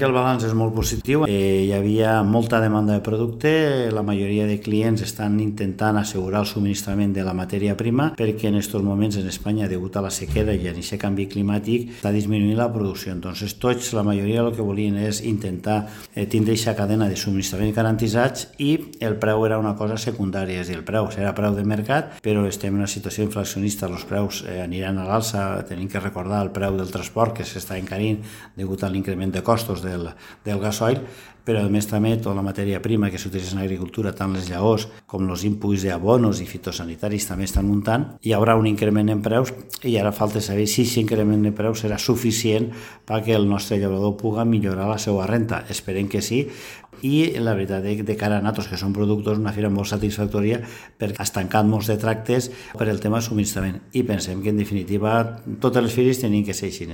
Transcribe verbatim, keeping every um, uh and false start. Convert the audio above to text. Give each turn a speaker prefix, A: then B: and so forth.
A: El balanç és molt positiu, eh, hi havia molta demanda de producte, la majoria de clients estan intentant assegurar el subministrament de la matèria prima perquè en aquests moments en Espanya, degut a la sequera i a aquest canvi climàtic, està disminuint la producció. Entonces tots, la majoria, el que volien és intentar eh, tindre aquesta cadena de subministrament garantitzats i el preu era una cosa secundària, és a dir, el preu serà preu de mercat, però estem en una situació inflacionista, els preus eh, aniran a l'alça, tenim que recordar el preu del transport que s'està encarint degut a l'increment de costos del, del gasoil, però a més també tota la matèria prima que s'utilitza en l'agricultura, tant les llavors com els inputs d'abonos i fitosanitaris també estan muntant. Hi haurà un increment en preus i ara falta saber si aquest increment de preus serà suficient perquè el nostre llaurador pugui millorar la seva renta. Esperem que sí. I la veritat és que de cara a nosaltres, que som productors, una fira molt satisfactòria perquè has tancat molts de tractes per el tema de subministrament i pensem que en definitiva totes les fires tenien que ser així.